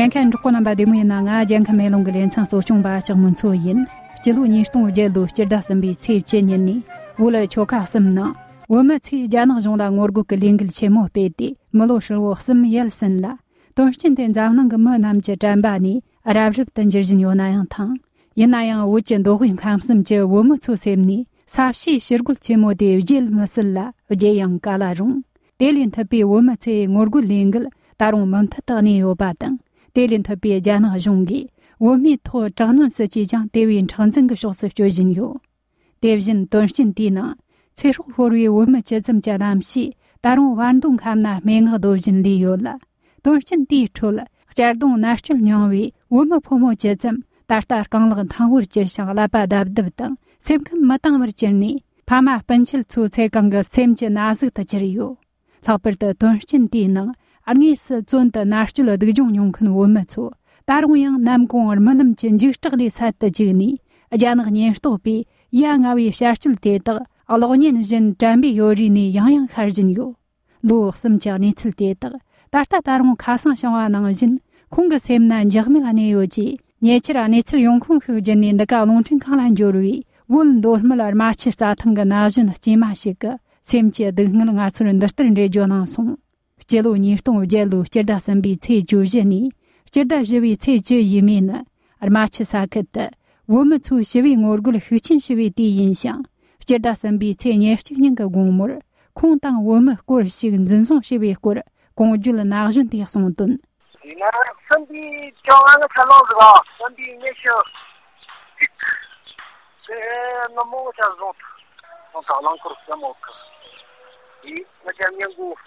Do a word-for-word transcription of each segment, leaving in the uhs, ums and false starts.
ཉན་མཁན་འབྲོག་པ་རྣམ་པ་བདེ་མོ་ཡིན་ན། ང་རྒྱལ་ཁམས་མེ་ལོང་གི་ལེ་ཚན་གཙོ་སྐྱོང་པ་ལྕགས་མོ་མཚོ་ཡིན། སྤྱི་ལོ་ཉིས་སྟོང་བརྒྱད་ལོའི་སྤྱི་ཟླ་གསུམ་པའི་ཚེས་བཅུ་ཉིན་ནས་བོད་ལ་ཆོལ་ཁ་གསུམ་ནང་བོད་མི་ཚོས་རྒྱ་ནག་གཞུང་ལ་ངོ་རྒོལ་གྱི་ལས་འགུལ་ཆེན་མོ་སྤེལ་ཏེ། མི་ལོ་ཧྲིལ་བོ་གསུམ་ཡལ་ཟིན་ལ། དོན་རྐྱེན་དེ་འཛམ་གླིང་གི་མི་རྣམས་ཀྱི་དྲན་པ་ནས་རབ་རིབ་ཏུ་འགྱུར་བཞིན་ཡོད་ན་ཡང་ཐང་། ཡིན་ན་ཡང་བོད་ཀྱི་མདོ་དབུས་ཁམས་གསུམ་གྱི་བོད་མི་ཚོའི་སེམས་ནས་ས་བྱིའི་ཕྱིར་རྒོལ་ཆེན་མོ་དེ་བརྗེད་མི་སྲིད་ལ། བརྗེད་ཡང་ག་ལ་རུང་། དེ་ལས་མཐུད་པའི་བོད་མི་ཚོའི་ངོ་རྒོལ་ལས་འགུལ་ད་རུང་མུ་མཐུད་དུ་གནས་ཡོད་པ་དང་། དེ་ལས་མཐུད་པའི་རྒྱ་ནག་གཞུང་གིས་བོད་མིའི་ཐོག་དྲག་གནོན་སྲིད་ཇུས་ཀྱང་དེ་བས་མཁྲེགས་འཛིན་གྱི་ཕྱོགས་སུ་སྐྱོད་བཞིན་ཡོད། དེ་བཞིན་དོན་རྐྱེན་དེའི་ནང་ཚེ་སྲོག་ཤོར་བའི་བོད་མི་བཅུ་ཙམ་གྱི་རྣམ་ཤེས་ད་རུང་བར་མདོ་ཁམས་ན་སྨྲེ་སྔགས་བཟློ་བཞིན་ལུས་ཡོད་ལ། དོན་རྐྱེན་དེའི་ཁྲོད་གཅར་རྡུང་མནར་གཅོད་མྱོང་བའི་བོད་མི་ཕོ་མོ་བཅུ་ཙམ་ད་ལྟ་རྐང་ལག་འཐེང་བོར་གྱུར་ཞིང་ཀླད་པ་རྡབ་རྡབ་དང་སེམས་ཁམས་མི་དྭངས་བར་གྱུར་ནས། ཕ་མ་སྤུན་མཆེད་ཚོའི་ཚེ་གང་གི་སེམས་ཀྱི་ན་ཟུག་ཏུ་གྱུར་ཡོད། ལྷག་པར་དུ་དོན་རྐྱེན་དེའི་ནང་དངོས་སུ་བཙོན་དུ་མནར་གཅོད་སྡུག་སྦྱོང་མྱོང་མཁན་བོད་མི་ཚོ་ད་རུང་ཡང་ནམ་གུང་རྨི་ལམ་གྱི་འཇིགས་སྐྲག་ལས་སད་དུ་བཅུག་ནས། རྒྱ་ནག་ཉེན་རྟོག་པས་ཡ་ང་བའི་བྱ་སྤྱོད་དེ་དག་གློག་བརྙན་བཞིན་དྲན་པའི་ཡོལ་རས་ནས་ཡང་ཡང་ཤར་བཞིན་ཡོད། ལོ་གསུམ་གྱི་གནས་ཚུལ་དེ་དག་ད་ལྟ་ད་རུང་ཁ་སང་བྱུང་བ་ནང་བཞིན་ཁོང་གི་སེམས་ན་འཇགས་མེད་གནས་ཡོད་ཅེས། ཉེ་ཆར་གནས་ཚུལ་ཡོང་ཁུངས་ཤིག་བརྒྱུད་ནས་འདི་ག་རླུང་འཕྲིན་ཁང་ལ་འབྱོར་བའི་བོད་མདོ་སྨད་རྨ་ཆུ་རྩྭ་ཐང་གི་ན་གཞོན་སྐྱེས་མ་ཞིག་གི་སེམས་ཀྱི་སྡུག་བསྔལ་ང་ཚོར་འདི་ལྟར་འགྲེལ་བརྗོད་གནང་སོང་། སྤྱི་ལོ་ཉིས་སྟོང་བརྒྱད་ལོའི་སྤྱི་ཟླ་གསུམ་པའི་ཚེས་བཅུ་བཞི་ནས་སྤྱི་ཟླ་བཞི་པའི་ཚེས་བཅུ་ཡས་མས་ནི་རྨ་ཆུ་ས་ཁུལ་དུ་བོད་མི་ཚོས་ཞི་བའི་ངོ་རྒོལ་ཤུགས་ཆེན་ཞུ་བའི་དུས་ཡིན་ཞིང་། སྤྱི་ཟླ་གསུམ་པའི་ཚེས་ཉེར་གཅིག་ཉིན་གྱི་དགོང་མོར་ཁོང་དང་བོད་མི་སྐོར་ཞིག་འཛིན་བཟུང་བྱས་པའི་སྐོར་གོང་བརྗོད་ན་གཞོན་དེས་གསུངས་དོན། དེས་ན་གསུམ་པའི་བཅོ་ལྔ་ནི་ཚ་ལོ་ཟིག་ག་གསུམ་པའི་ཉི་ཤུ་གཅིག་དེ་ནི་མོ་ཆ་བཟུང་ཐལ། བཟུང་ཐལ། རླངས་འཁོར་གསུམ་ཡོད་གི། དེ་ང་ཅག་ཉིན་གུང་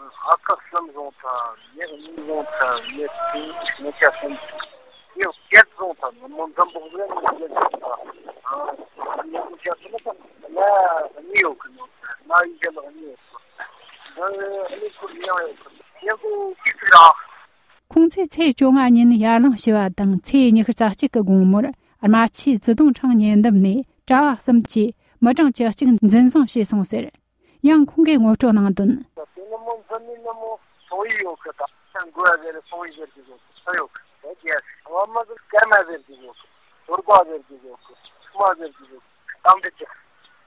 ཨ་ཁ་གསུམ་བཟུང་ཐལ། ཉི་གཉིས་བཟུང་ཐལ། ཉི་གསུམ། ཉི་ཤུ་གསུམ། ཉི་བརྒྱད་བཟུང་ཐལ། ནི་མོ་འཛམ་བུ་གླིང་ནས་བཟུང་ཐལ། ཨ་ཉིན་གུང་ཆ་གསུམ་ལ་ལ་གཉིས་ཡོད་གི། ནོར་ཐལ། ན་ཡི་ཞལ་ལག་གཉིས་ཡོད་གི། ཨ་ནི་ཁོར་ཡང་ཡོད་གི། ཉིན་གུང་གཅིག་ཙིག་ར། ཁོང་ཚོས་ཚེས་བཅོ་ལྔ་ཉིན་ཡར་ལངས་ཞུ་བ་དང་། ཚེས་ཉི་ཤུ་རྩ་གཅིག་གི་དགོང་མོར་རྨ་ཆུའི་ཙི་ཏུང་ཁྲང་ཉེ་འདབས་ནས་གྲྭ་བ་གསུམ་གྱིས་མི་གྲངས་བཅུ་གཅིག་འཛིན་བཟུང་བྱས་སོང་ཟེར། ཡང་ཁོང་གིས་ངོ་སྤྲོད་གནང་དོན། དེ་ནི་མོ་འཛིན་ནི་ནི་མོ་སོང་ཡི་ཡོད་གི། ད་ཆ་འགོ་ཡ་ཟེར་སོང་ཡི་ཟེར་གི་ཡོད་གི། ས་ཡོད་གི། ད་རྒྱ་བ་མ་ཟེར་སྐར་མ་ཟེར་གི་ཡོད་གི། དོར་པ་ཟེར་གི་ཡོད་གི། ཆུ་མ་ཟེར་གི་ཡོད་གི། གཏམ་འདྲི་ཅིག་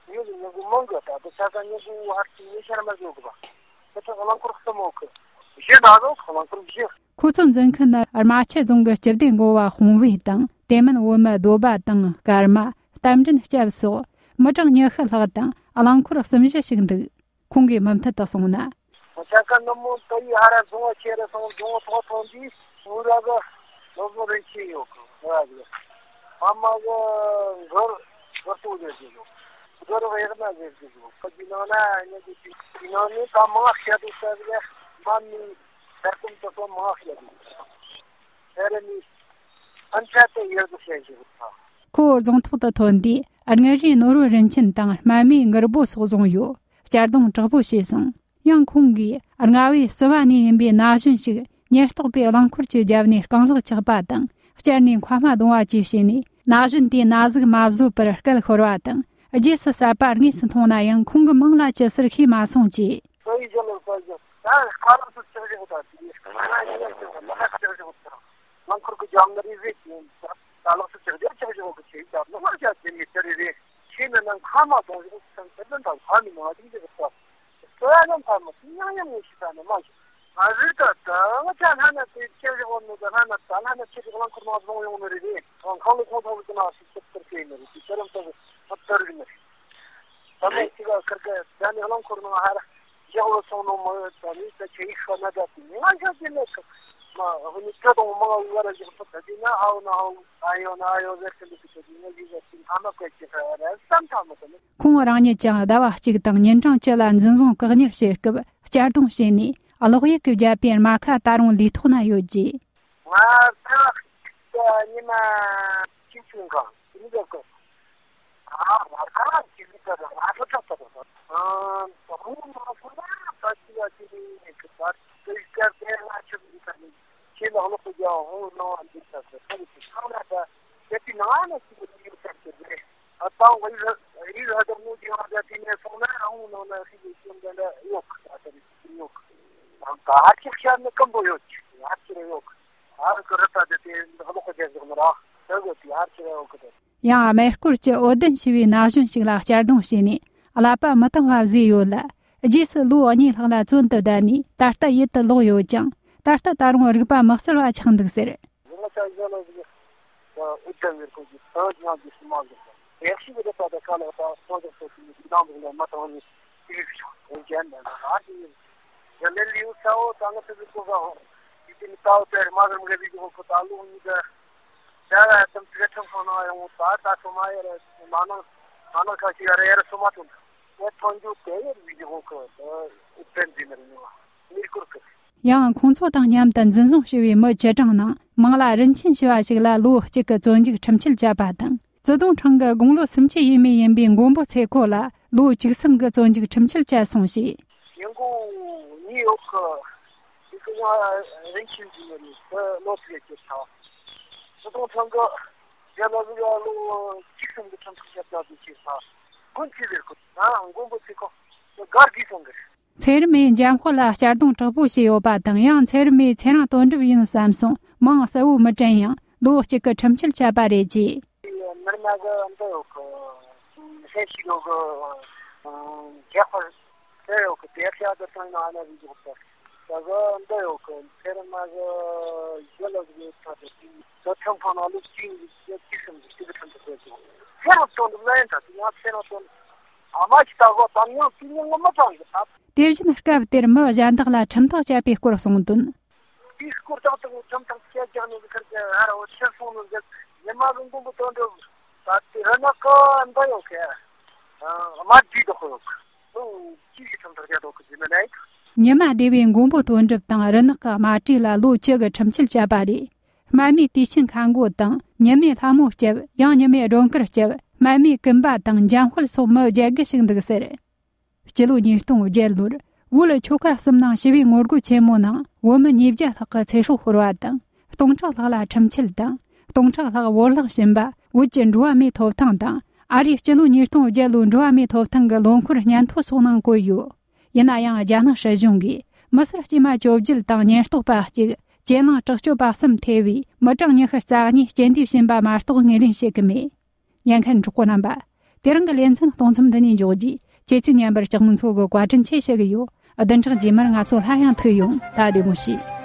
ངེད་ཀྱི་ཉིན་གུང་མང་གི། ད་དུ་ཆ་ས་ཉིན་གུང་ཧར་གྱི་ཉི་ཤར་མ་བཟོ་གི་བ། ཁྱེད་ཚོ་རླངས་འཁོར་གསུམ་ཡོད་གི། བཞི་ན་ཟོ་རླངས་འཁོར་བཞི། ཁོ་ཚོ་འཛིན་མཁན་ནི་རྨ་ཆུ་རྫོང་གི་སྤྱི་བདེ་འགོ་བ་དཔུང་བོས་དང་། དེ་མིན་བོད་མི་སྡོད་པ་དང་སྐར་མ། རྟ་མགྲིན་སྐྱབས་སོགས་མི་གྲངས་ཉི་ཤུ་ལྷག་དང་རླངས་འཁོར་གསུམ་བཞི་ཞིག་འདུག་ཁོང་གིས་མུ་མཐུད་དུ་གསུངས་ན། ཆ་ཀ་ནུ་མོ་ཏ་ཡི་ཧ་ར་རྫོང་བ་ཁྱེར་ར་སོང་། རྫོང་བ་ཐོག་ཐོང་དུས་ངུ་ར་གི་ནོར་བུ་རིན་ཆེན་ཡོད་གི། ངུ་ར་གི་ཕ་མ་གི་གུར་གུར་ཏོ་ཟེར་གི་ཡོད། གུར་བེག་ན་ཟེར་གི་ཡོད། ཁ་ཅིག་ནང་ན་ཉེ་གི་ཅིག་ཅིག་ནང་ནས་ད་མང་བཤད་དུ་ས་གི་ལས་མ་མི་ད་ཀུམ་ཏུ་སོང་མང་བཤད་དུ་ས་རེ་ནི་ཨན་ཆ་ཏེ་ཡོད་གི་བཤད་གི་ཡོད། ཁོ་རྫོང་ཐོག་ཏུ་ཐོན་དུས་དངུལ་རིས་ནོར་བུ་རིན་ཆེན་དང་སྨན་མའི་མགུར་པོ་སོགས་བཟུང་ཡོད། གཅར་རྡུང་དྲག་པོ་བྱས་སོང་། ཡང་ཁོང་གིས་རྔ་བའི་བསུ་བ་ནས་ཡིན་པའི་ན་གཞོན་ཞིག་ཉེན་རྟོག་པས་རླངས་འཁོར་གྱི་རྒྱབ་ནས་རྐང་ལག་བཅག་པ་དང་། གཅར་ནས་མཁའ་མ་རྡུང་བ་བཅས་བྱས་ནས། ན་གཞོན་དེའི་ན་ཟུག་མ་བཟོད་པར་སྐད་ཤོར་བ་དང་། རྗེས་སུ་བསད་པ་དངོས་སུ་མཐོང་ན་ཡང་ཁོང་གི་མིང་ལ་ཅི་ཟེར་ཤེས་མ་སོང་ཅེས། ད་ཡི་ཞལ་ལག་ཟ་རྒྱུ། ད་ཁ་ལག་ཏུ་ལྕགས་བཞག་དང་། དེ་ནས་ཁ་ལག་ཏུ་ལྕགས་བཞག་དང་། རླངས་འཁོར་གྱི་རྒྱབ་ན་རེ་རེ་བྱས། ད་ལག་ཏུ་ལྕགས་བཞག་ལྕགས་བཞག་གི་ཆེ་རྒྱབ་ན་མ་རྒྱབ་དེ་ནས་དེ་རེ་རེ་ཆེ་ན་ན་ཁ་མ་གཏོང་བཞག་ཚང་དེ་ལ་ད་ཁ་ནི་མ་བྱུང་རྒྱུ་རེད། ད་ཡང་ཡང་ཕར་མ་སུ་ཡང་ཡང་ངོ་ཤེས་ད་ནི་མ་ཤེས། ང་རེ་ད་ད་ང་ཅག་ལྷ་ན་དེ་ལྕགས་བཞག་བ་ནི་ད་ལྷ་ན་ད་ལྷ་ན་ཆེ་རིགས་རླངས་འཁོར་ནང་བཟུང་ཡོང་ནི་རེད། རེད་ཁང་ལ་ཁོང་ཚང་ལ་ཀུན་ན་སུ་ཚུར་ཚུར་བྱས་ནི་རེད། དེ་ཚོ་རང་ཚོ་ཚུར་ཚུར་རིག་ནི་རེད། ད་མེད་ཅིག་ཁར་ཁ་ད་ནི་རླངས་འཁོར་ནང་ཧར་བཞག་བ་སོང་ནོ་མ་ཡོད། ད་ནི་ད་ཆེ་ཡིག་ཤོ་ན་ད་དེ་ནི་ང་ཤོ་དེ་ནི་མ་ཧུ་ནི་ཁྲ་དང་མ་ང་བར་བཞག་ཐུབ། ད་དེ་ན་ཧའོ་ན་ཧའོ་ཨ་ཡོ་ན་ཨ་ཡོ་ཟེར་གི་འདུག་གི། ད་དེ་ན་ཡིག་ཟེར་དེ་ཐ་མ་བཀལ་གྱི་ཁ་ར་བསམ་ཐ་མ་དེ་ནི། ཁོང་རང་ཉིད་ཀྱང་ཟླ་བ་གཅིག་དང་ཉིན་གྲངས་བཅུ་ལ་འཛིན་བཟུང་བཀག་ཉར་བྱེད་སྐབས་གཅར་རྡུང་བྱས་ནས་གློག་ཡིག་གིས་བརྒྱབ་པའི་རྨ་ཁ་ད་རུང་ལུས་ཐོག་ན་ཡོད་ཅེས། ང་ཟླ་བ་གཅིག་ཉི་མ་གཅིག་བྱུང་གང་ཡིན་འདོད་གི། ཨ་ང་ཟླ་བ་གཅིག་ལ་ང་ཚོ་ཁྲག་ཏུ་རུང་ཨ་ད་རུང་མ་སོང་ན་ད་ཅི་ལ་ཅི་ལ་ཡིན་གི། ད་དེ་སྐབས་དེ་ང་ཆུ་མི་ཁ་ནི་ཁྱེད་ལ་གློག་གི་རྒྱ་ཧོ་ནང་བ་འདི་ལྟར་དུ་ཁ་ནི་ཚང་ན་ད་དེ་དེ་ནང་ན་ཅི་ལ་ཅི་ལ་ཁྲག་ཏུ་རེད། ཨ་ད་ང་རི་རི་ཧ་ད་མོ་ཅི་ཧ་ད་དེ་ནས་སོང་ན་ཨ་ཧོ་ནང་ན་ཧི་ལི་ཅུང་ད་ད་ཡོད་གི། ད་ད་རི་ཡོད་གི། ད་ཧ་ཅིག་ཤ་ནི་སྐམ་པོ་ཡོད་གི། ཧ་ཅིག་རེ་ཡོད་གི། ཨ་རི་ཀི་རི་ད་དེ་དེ་འདི་ལོག་གི་རྒྱལ་ཟེར་ནི་ར། དེ་གི་དེ་ཨ་རི་ཁྱེར་ཡོད་གི་དེ། ཡང་སྨད་སྐོར་གྱི་འོད་ལྡན་ཞེས་པའི་ན་གཞོན་ཞིག་ལ་གཅར་རྡུང་བྱས་ནས་ཀླད་པ་མི་དྭངས་པ་བཟོས་ཡོད་ལ། རྗེས་སུ་ལོ་གཉིས་ལྷག་ལ་བཙོན་དུ་བསྡད་ནས་ད་ལྟ་ཡུལ་དུ་ལོག་ཡོད་ཀྱང་། ད་ལྟ་ད་རུང་རིག་པ་མི་གསལ་བ་ཆགས་འདུག་ཟེར། ང་ཚོ་གཞོན་ནུ་ཟིག་འུ་ཚང་ངེར་ཁོ་གི་ད་ཉང་གི་སུ་མ་ཟིག་ཡག་ཤི་གི་རེད་པ། ད་ཁ་ལག་ད་སོ་ཇག་སོ་ཞིག་ནང་འདུག་ལ་མ་བཏང་ནི་ཅི་ཞིག་ཤོག་འོན་ཀྱང་ན་ང་ཨ་ཅི་ཡིན། ཡ་ལེ་ལིའུ་ས་འོ་ད་ང་ཚོ་གི་ཀོ་ཟ་འོ་ཡི་ཅི་ནི་ད་འོ་དེར་མ་གི་མ་གི་བི་ཇི་ཧོ་ཁོ་ད་ལུ་ནི་ད་ད་ད་ད་ཚི་ག་ཁྲང་ཁང་ན་ཡོང་ད་ད་སོ་མ་ཡ་ར་མ་ནང་མ་ནང་ཁ་ཤི་ཡ་ར་ཡ་ར་སོ་མ་ཐོན་ད་ཐོན་རྒྱུ་དེ་ཡ་བི་ཇི་ཧོ་ཁོ་ད་ཨུ་པེན་ཛི་ནར་ཉོ་མི་སྐོར་གི། ཡང་ཁོང་ཚོ་དང་མཉམ་དུ་འཛིན་བཟུང་བྱས་པའི་མི་བཅུ་གྲངས་ནང་མང་ལ་རིན་ཆེན་ཞེས་པ་ཞིག་ལ་ལོ་གཅིག་གི་བཙོན་འཇུག་ཁྲིམས་ཆད་བཅད་པ་དང་། ཙི་ཏུང་ཁྲང་གི་དགུང་ལོ་སུམ་ཅུ་ཡས་མས་ཡིན་པའི་མགོན་པོ་ཚེ་ཁོ་ལ་ལོ་བཅུ་གསུམ་གི་བཙོན་འཇུག་ཁྲིམས་ཆད་བཅད་སོང་ཞེས། ཡང་གོང་ནིའུ་ཡོག་གི་དེ་གི་ཡང་རིན་ཆེན་ཞིག་ཡོད་ནི་དེ་ལོ་ཚིགས་ཀྱི་ཚ། ཙི་ཏུང་ཁྲང་གི་རྒྱ་ལ་ལུ་ཡ་ལོ་བཅུ་གསུམ་གི་ཁྲིམས་ཆད་བཅད་པ་དེ་ཅི་ས་དགོན་ཚིག་ཟེར་གོ་ན་མགོན་པོ་ཚེ་ཁོ་དགའ་དགོས་སོང་གི། ཚེ་རིང་མས་འཇམ་དཔལ་ལ་གཅར་རྡུང་དྲག་པོ་བྱས་ཡོད་པ་དང་། ཡང་ཚེ་རིང་མས་ཚེ་རིང་དོན་གྲུབ་ཡིན་བསམ་སོང་མིང་གསལ་བོ་མི་དྲན་ཡང་ལོ་གཅིག་གི་ཁྲིམས་ཆད་བཅད་པ་རེད་ཅེས། མི་རྨ་གི་འདི་ཡོད་གི་ཧེ་ཤི་ཡོད་གི་རྒྱག་པར་དེ་ཡོད་གི་དེ་ཤ་དུ་ཐོན་ན་ཨ་ན་བི་འཇུག་པར་ད་གི་འདི་ཡོད་གི་ཚེ་རིང་མ་གི་ཡོད་ལ་གི་ད་དེ་དེ་ཁྲིམས་ཁང་ན་ལུགས་གཅིག་གཅིག་གསུམ་གི་གཅིག་གི་ཁྲིམས་དུ་བཀོད་ཅིང་ཚེ་རིང་དོན་གྲུབ་ལ་ཡིན་ད་དེ་ཡང་ཚེ་རིང་དོན་གྲུབ། ཨ་མ་ཞིག་ལྟ་གོ་དམ་ཉམས་དེ་ཉིད་ངོ་མ་དྲང་གི་ད། དེ་བཞིན་སྐབས་དེར་མི་གཞན་དག་ལ་ཁྲིམས་ཐག་བཅད་པའི་སྐོར་གསུངས་དོན། དེའི་སྐོར་ཏག་ཏག་ཁྲིམས་ཐག་བཅད་རྒྱག་ནས་ཁར་གྱི་ཧ་ར་བོ་ཕྱིར་སོང་ནས་འདི་ཉི་མ་གི་མགོན་པོ་དོན་གྲུབ་ད་དེ་རི་ནག་གི་འདི་ཡོད་གི་དམར་དྲི་དོག་ཡོད་གི་ལོ་གཅིག་གི་ཁྲིམས་ཐག་བཅད་དོག་གི་ཟིན་ན་ལེགས། ཉི་མ་སྡེ་བའི་མགོན་པོ་དོན་གྲུབ་དང་རི་ནག་གི་དམར་དྲི་ལ་ལོ་བཅུ་གི་ཁྲིམས་ཆད་བཅད་པ་རེད། སྨན་མའི་དུས་ཆེན་ཁ་མགོ་དང་ཉི་མའི་ལྷ་མོ་སྐྱབས། ཡང་ཉི་མའི་སྒྲོན་དཀར་སྐྱབས། སྨན་མའི་ཀུན་པ་དང་འཇམ་དཔལ་སོགས་མི་བརྒྱད་དགུ་ཞིག་འདུག་ཟེར། སྤྱི་ལོ་ཉིས་སྟོང་བརྒྱད་ལོར་བོད་ཆོལ་ཁ་གསུམ་ནང་ཞི་བའི་ངོ་རྒོལ་ཆེན་མོ་ནང་བོད་མི་ཉིས་བརྒྱ་ལྷག་གི་ཚེ་སྲོག་ཤོར་བ་དང་། སྟོང་ཕྲག་ལྷག་ལ་ཁྲིམས་ཆད་དང་། སྟོང་ཕྲག་ལྷག་བོར་བརླག་ཕྱིན་པ། བོད་ཀྱི་འགྲོ་བ་མིའི་ཐོབ་ཐང་དང་། ཨ་རིའི་སྤྱི་ལོ་ཉིས་སྟོང་བརྒྱད་ལོའི་འགྲོ་བ་མིའི་ཐོབ་ཐང་གི་ལོ་འཁོར་སྙན་ཐོ་སོགས་ནང་བཀོད་ཡོད། ཡིན་ན་ཡང་རྒྱ་ནག་སྲིད་གཞུང་གིས་མི་སེར་དཀྱུས་མ་བཅོ་བརྒྱད་དང་ཉེན་རྟོག་པ་གཅིག་གྱེན་ལངས་དྲག་སྤྱོད་པ་གསུམ་ཐེ་བའི་མི་གྲངས་ཉི་ཤུ་རྩ་གཉིས་རྐྱེན་འདས་ཕྱིན་པ་མ་གཏོགས་ངོས་ལེན་བྱེད་ཀྱི་མེད། ཉན་མཁན་གྲོགས་པོ་རྣམ་པ། དེ་རིང་གི་ལེ་ཚན་གཏོང་མཚམས་འདི་ནས་འཇོག་རྒྱུ། ཁྱེད་ཚོས་ཉན་པར་སྐྱབས་མགོན་མཚོ་གི་བཀའ་དྲིན་ཆེ་ཞུ་གི་ཡོད། བདུན་ཕྲག་རྗེས་མར་ང་ཚོ་སླར་ཡང་ཐུག་ཡོང་། ད་བདེ་མོ་བྱོས།